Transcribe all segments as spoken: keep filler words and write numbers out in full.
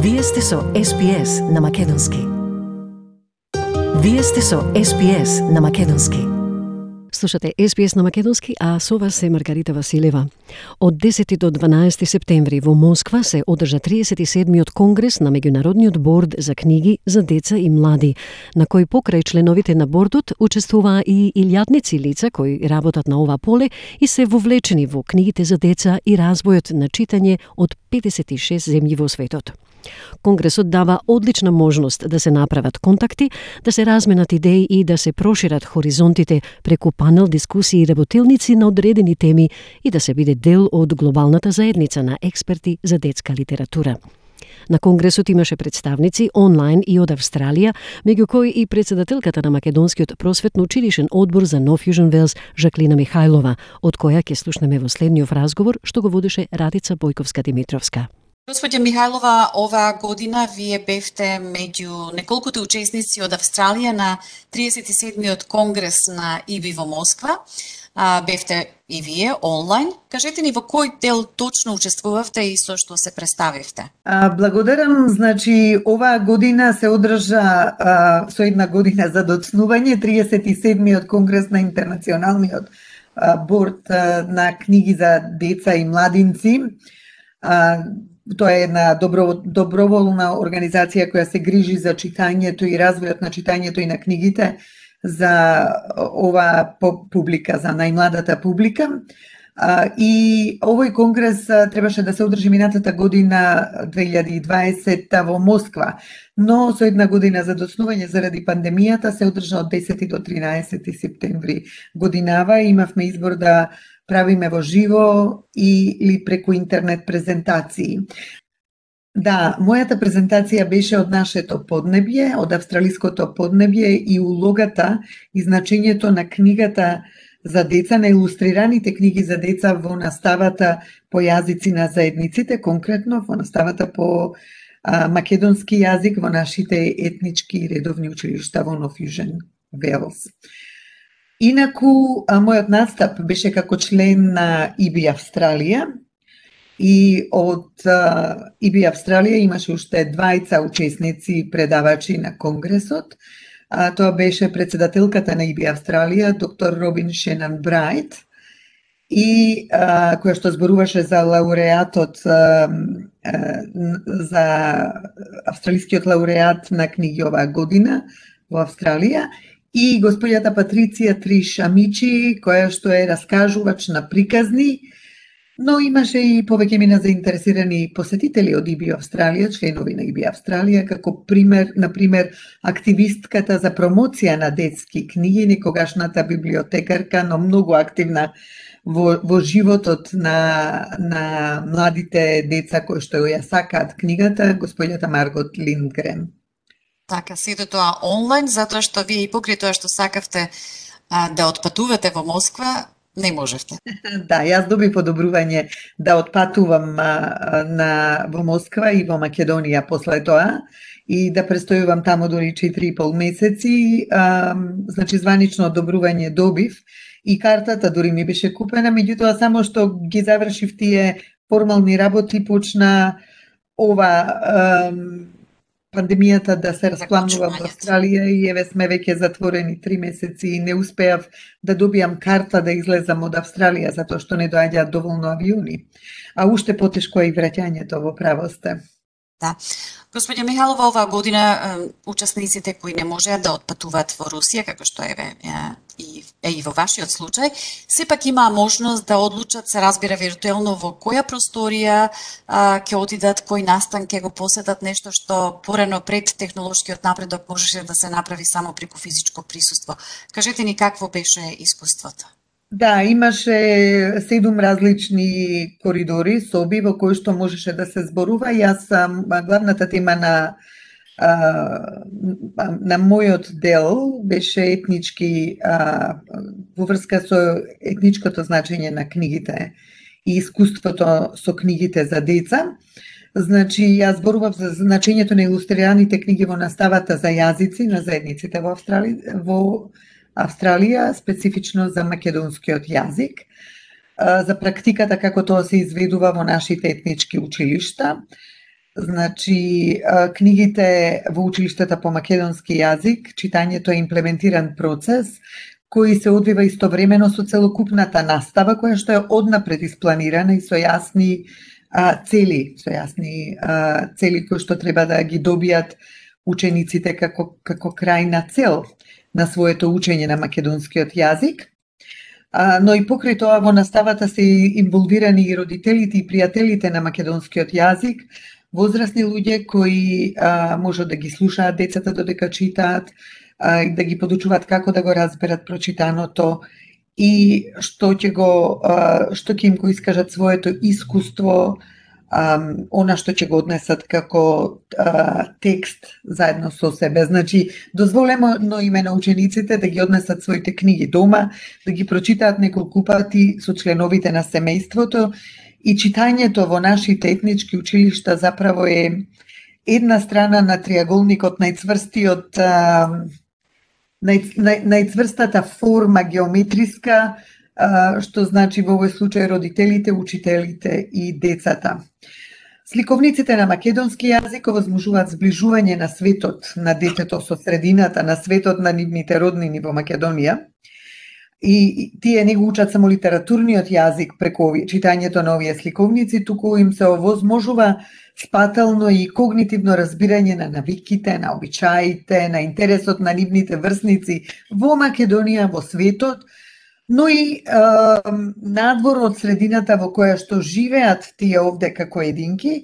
Вие сте со Ес Пи Ес на Македонски. Вие сте со Ес Пи Ес на Македонски. Слушате Ес Пи Ес на Македонски, а со вас е Маргарита Василева. Од десети до дванаесети септември во Москва се одржа триесет и седмиот конгрес на Меѓународниот борд за книги за деца и млади, на кој покрај членовите на бордот учествуваа и илјадници лица кои работат на ова поле и се вовлечени во книгите за деца и развојот на читање од педесет и шест земји во светот. Конгресот дава одлична можност да се направат контакти, да се разменат идеи и да се прошират хоризонтите преку панел дискусии и работилници на одредени теми и да се биде дел од глобалната заедница на експерти за детска литература. На конгресот имаше представници онлайн и од Австралија, меѓу кои и председателката на Македонскиот просветно-училишен одбор за Нов Јужен Велс Жаклина Михајлова, од која ќе слушнеме во следниот разговор што го водеше Радица Бојковска-Димитровска. Господја Михајлова, оваа година вие бевте меѓу неколкуте учесници од Австралија на триесет и седмиот конгрес на И Би во Москва. А, бевте и вие онлайн. Кажете ни во кој дел точно учествувавте и со што се представивте? А, благодарам. Значи, оваа година се одржа а, со една година за доцнување триесет и седмиот конгрес на Интернационалниот а, борд а, на книги за деца и младинци. А, Тоа е една добро, доброволна организација која се грижи за читањето и развојот на читањето и на книгите за оваа публика, за најмладата публика. И овој конгрес требаше да се одржи минатата година две илјади и дваесета во Москва, но со една година за доцнување заради пандемијата се одржа од десети до тринаесети септември годинава. Имавме избор да правиме во живо или преку интернет презентации. Да, мојата презентација беше од нашето поднебје, од австралиското поднебје и улогата и значењето на книгата за деца, на илустрираните книги за деца во наставата по јазици на заедниците, конкретно во наставата по а, македонски јазик во нашите етнички и редовни училишта во Нов Јужен Велс. Инаку, а, мојот настап беше како член на И Би Австралија и од а, И Би Австралија имаше уште двајца учесници предавачи на конгресот. А, тоа беше председателката на И Би Австралија, доктор Робин Шенан Брайт, и а, која што зборуваше за лауреатот, а, а, за австралискиот лауреат на книги оваа година во Австралија, и господјата Патриција Тришамичи, која што е раскажувач на приказни, но имаше и повеќе мина заинтересирани посетители од И Би Австралија, членови на И Би Австралија, како пример, на пример, активистката за промоција на детски книги, некогашната библиотекарка, но многу активна во, во животот на, на младите деца кои што ја сакаат книгата, господјата Маргот Линдгрен. Така, сите тоа онлайн, затоа што вие и покрај тоа што сакавте а, да отпатувате во Москва, не можевте. Да, јас добив одобрување да отпатувам а, на, во Москва и во Македонија после тоа и да престојувам таму дури четири и пол месеци. А, значи, званично одобрување добив и картата дури ми беше купена, меѓутоа само што ги завршив тие формални работи, почна ова а, пандемијата да се распламнува во Австралија и еве сме веќе затворени три месеци и не успеав да добијам карта да излезам од Австралија затоа што не доаѓаат доволно авиони. А уште потешко е и враќањето во правосте. Да. Господја Михајлова, оваа година учесниците кои не можеа да отпатуваат во Русија, како што еве и е и во вашиот случај, сепак имаа можност да одлучат, се разбира виртуелно, во која просторија а, ќе отидат, кој настан ќе го посетат, нешто што порано пред технолошкиот напредок можеше да се направи само преку физичко присуство. Кажете ни какво беше искуството? Да, имаше седум различни коридори, соби во кои што можеше да се зборува. Јас сам главната тема на на мојот дел беше етнички во врска со етничкото значење на книгите и искуството со книгите за деца. Значи, јас зборував за значењето на илустрираните книги во наставата за јазици на заедниците во Австралија, во Австралија, специфично за македонскиот јазик, за практиката како тоа се изведува во нашите етнички училишта. Значи, книгите во училиштата по македонски јазик, читањето е имплементиран процес кој се одвива истовремено со целокупната настава, која што е однапред испланирана и со јасни а, цели, со јасни а, цели кои што треба да ги добијат учениците како, како крајна цел на своето учење на македонскиот јазик. А, но и покрај тоа во наставата се инволвирани и родителите и пријателите на македонскиот јазик, возрастни луѓе кои а, можат да ги слушаат децата додека читаат, а, да ги подучуваат како да го разберат прочитаното и што ќе го а, што ќе им го искажат своето искуство, а, она што ќе го однесат како а, текст заедно со себе. Значи, дозволено име на учениците да ги однесат своите книги дома, да ги прочитаат неколку пати со членовите на семејството. И читањето во нашите етнички училишта заправо е една страна на триаголникот, најцврстиот, нај, нај, најцврстата форма геометриска, што значи во овој случај родителите, учителите и децата. Сликовниците на македонски јазик овозможуваат зближување на светот на детето со средината на светот на нивните роднини во Македонија. И тие не го учат само литературниот јазик преку читањето на овие сликовници, туку им се овозможува спателно и когнитивно разбирање на навиките, на обичаите, на интересот на нивните врсници во Македонија, во светот, но и е, надвор од средината во која што живеат тие овде како единки,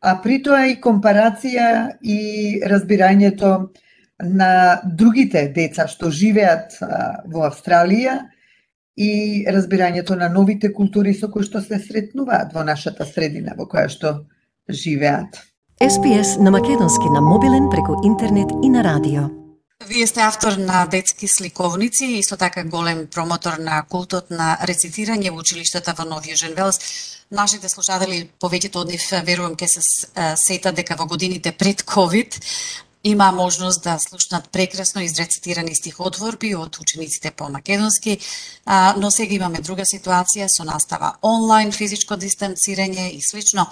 а при тоа и компарација и разбирањето на другите деца што живеат а, во Австралија и разбирањето на новите култури со кои што се сретнуваат во нашата средина во која што живеат. Ес Би Ес на македонски на мобилен преку интернет и на радио. Вие сте автор на детски сликовници и исто така голем промотор на култот на рецитирање во училиштата во Нов Јужен Велс. Нашите слушатели, повеќето од нив верувам ке се сетат дека во годините пред ковид има можност да слушнат прекрасно изрецитирани стихотворби од учениците по македонски, но сега имаме друга ситуација со настава онлайн, физичко дистанцирање и слично.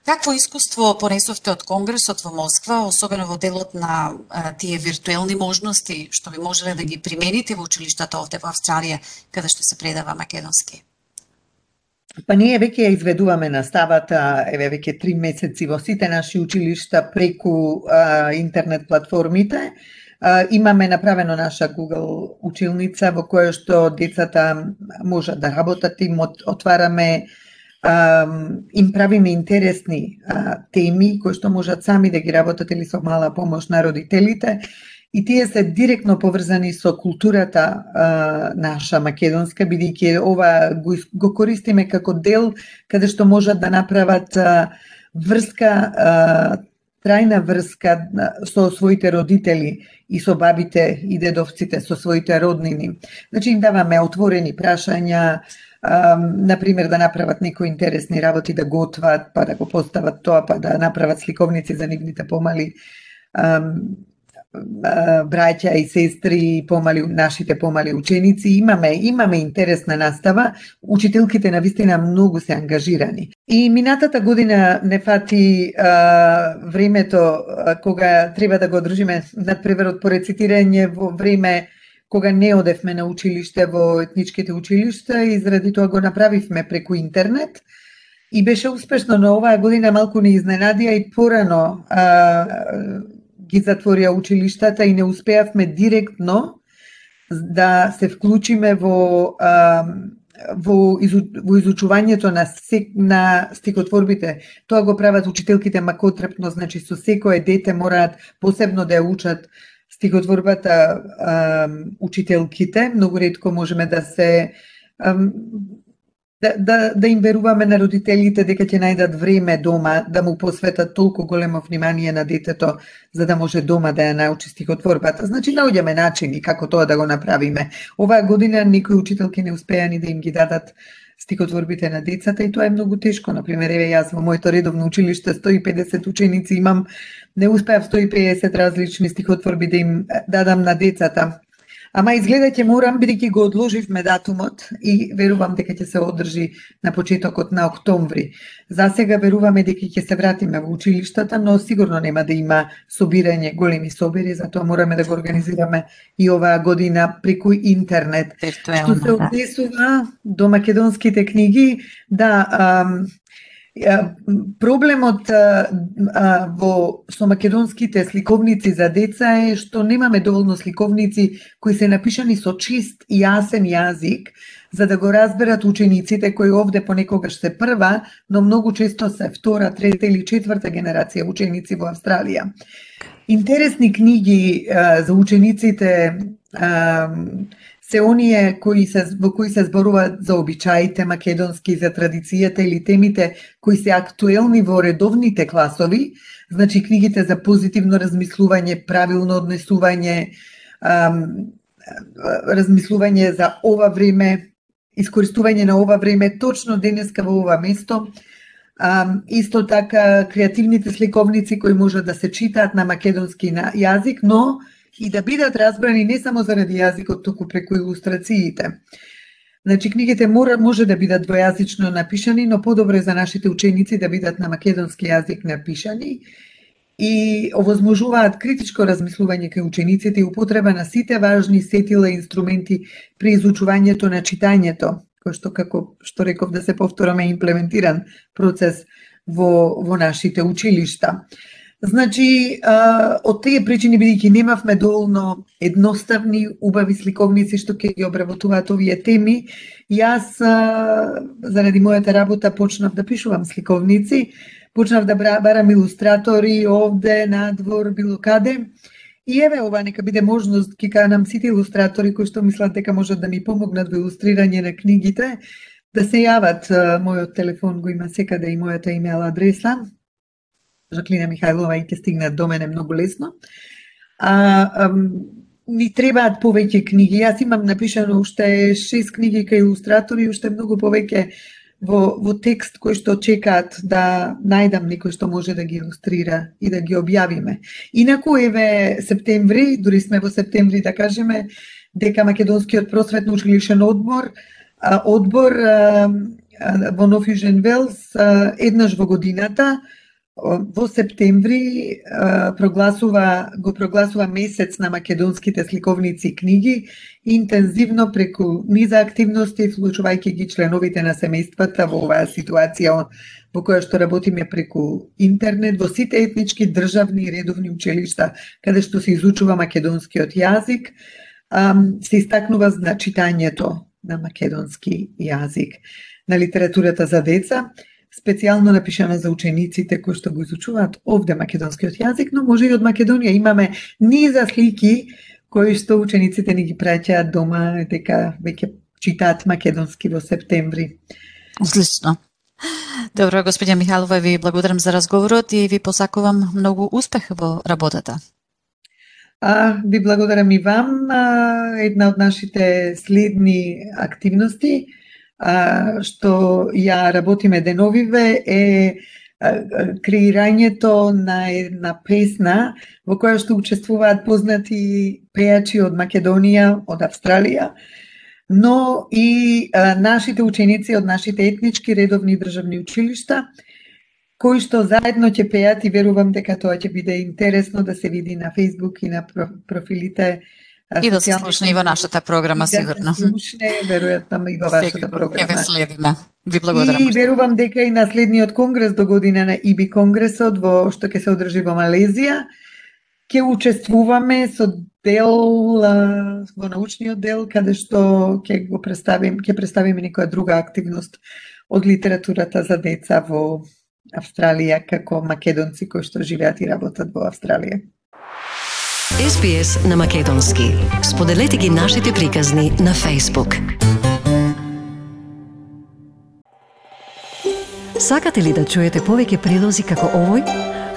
Какво искуство понесовте од Конгресот во Москва, особено во делот на а, тие виртуелни можности, што би можеле да ги примените во училиштата овде во Австралија, каде што се предава македонски? Па ние веќе ја изведуваме наставата, еве веќе три месеци во сите наши училишта преку а, интернет платформите. А, имаме направено наша Google училница во која што децата можат да работат, им отвараме, а, им правиме интересни а, теми кои што можат сами да ги работат или со мала помош на родителите. И тие се директно поврзани со културата а, наша македонска, бидејќи ова го, го користиме како дел каде што можат да направат а, врска, а, трајна врска со своите родители и со бабите и дедовците, со своите роднини. Значи им даваме отворени прашања, а, например да направат некои интересни работи, да готват, па да го постават тоа, па да направат сликовници за нивните помали а, браќа и сестри, помали нашите помали ученици. Имаме имаме интересна настава. Учителките навистина многу се ангажирани. И минатата година не фати а, времето а, кога треба да го одржиме надпреварот по рецитирање во време кога не одевме на училиште во етничките училишта и заради тоа го направивме преку интернет. И беше успешно, но оваа година малку не изненадија и порано а, ги затворија училиштата и не успеавме директно да се вклучиме во а, во, изу, во изучувањето на сек, на стихотворбите. Тоа го прават учителките макотрепно, значи со секое дете мораат посебно да ја учат стихотворбата а, учителките. Многу ретко можеме да се а, Да, да, да им веруваме на родителите дека ќе најдат време дома да му посветат толку големо внимание на детето за да може дома да ја научи стихотворбата. Значи наоѓаме начини како тоа да го направиме. Оваа година некои учителки не успеа ни да им ги дадат стихотворбите на децата и тоа е многу тешко. Например, еве јас во моето редовно училиште сто и педесет ученици имам, не успеав сто и педесет различни стихотворби да им дадам на децата. Ама изгледа ќе морам, бидејќи го одложивме датумот и верувам дека ќе се одржи на почетокот на октомври. За сега веруваме дека ќе се вратиме во училиштата, но сигурно нема да има собирање, големи собери, затоа мораме да го организираме и оваа година преку интернет. Што се однесува до македонските книги, да, ам, проблемот а, а, во со македонските сликовници за деца е што немаме доволно сликовници кои се напишани со чист и јасен јазик за да го разберат учениците кои овде понекогаш се прва, но многу често се втора, трета или четврта генерација ученици во Австралија. Интересни книги а, за учениците а, се оние кои се, во кои се зборуваат за обичаите македонски, за традицијата или темите кои се актуелни во редовните класови, значи книгите за позитивно размислување, правилно однесување, ам, размислување за ова време, искористување на ова време, точно денеска во ова место. Ам, исто така креативните сликовници кои можат да се читаат на македонски на јазик, но и да бидат разбрани не само заради јазикот, туку преку илустрациите. Значи, книгите мора, може да бидат двојазично напишани, но подобро е за нашите ученици да бидат на македонски јазик напишани и овозможуваат критичко размислување кај учениците и употреба на сите важни сетила и инструменти при изучувањето на читањето, кој што, како што реков, да се повтораме, имплементиран процес во, во нашите училишта. Значи, а, од тие причини, бидејќи немавме доволно едноставни, убави сликовници што ќе ги обработуваат овие теми, јас, а, заради мојата работа, почнав да пишувам сликовници, почнав да барам илустратори овде, надвор, било каде. И еве ова нека биде можност, ки канам сите илустратори кои што мислат дека можат да ми помогнат во илустрирање на книгите, да се јават. Мојот телефон го има секаде и мојата имейл адреса. Жаклина Михајлова и ќе стигнат до мене многу лесно. А, а, ни требаат повеќе книги. Јас имам напишано уште шест книги кај илустратори и уште многу повеќе во, во текст кои што чекаат да најдам некој што може да ги илустрира и да ги објавиме. Инаку еве септември, дури сме во септември да кажеме, дека Македонскиот просветно училишен одбор, одбор во Нов Јужен Велс еднаш во годината во септември прогласува, го прогласува месец на македонските сликовници и книги, интензивно преку низа активности, вклучувајќи ги членовите на семејствата во оваа ситуација во која што работиме преку интернет, во сите етнички, државни и редовни училишта, каде што се изучува македонскиот јазик, се истакнува значитањето на македонски јазик, на литературата за деца, специјално напишана за учениците кои што го изучуваат овде македонскиот јазик, но може и од Македонија. Имаме низа слики кои што учениците ни ги праќаат дома, дека веќе читаат македонски во септември. Одлично. Добро, господја Михајлова, ви благодарам за разговорот и ви посакувам многу успех во работата. А, ви благодарам и вам. А, една од нашите следни активности а, што ја работиме деновиве е креирањето на една песна во која што учествуваат познати пејачи од Македонија, од Австралија, но и а, нашите ученици од нашите етнички редовни државни училишта, кои што заедно ќе пеат и верувам дека тоа ќе биде интересно да се види на Facebook и на профилите. И да се слушне и во нашата програма, сигурно. Да се слушне, веројатно и во вашата програма. Ќе ве следиме. Ви благодарам. И верувам дека и на следниот конгрес до година на И Би конгресот во што ќе се одржи во Малезија, ќе учествуваме со дел во научниот дел каде што ќе го представим, ќе представиме некоја друга активност од литературата за деца во Австралија како македонци кои што живеат и работат во Австралија. Ес Би Ес на македонски. Споделете ги нашите приказни на Facebook. Сакате ли да чуете повеќе прилози како овој?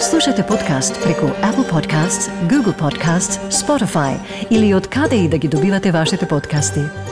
Слушате подкаст преку Apple Podcasts, Google Podcasts, Spotify или од каде и да ги добивате вашите подкасти.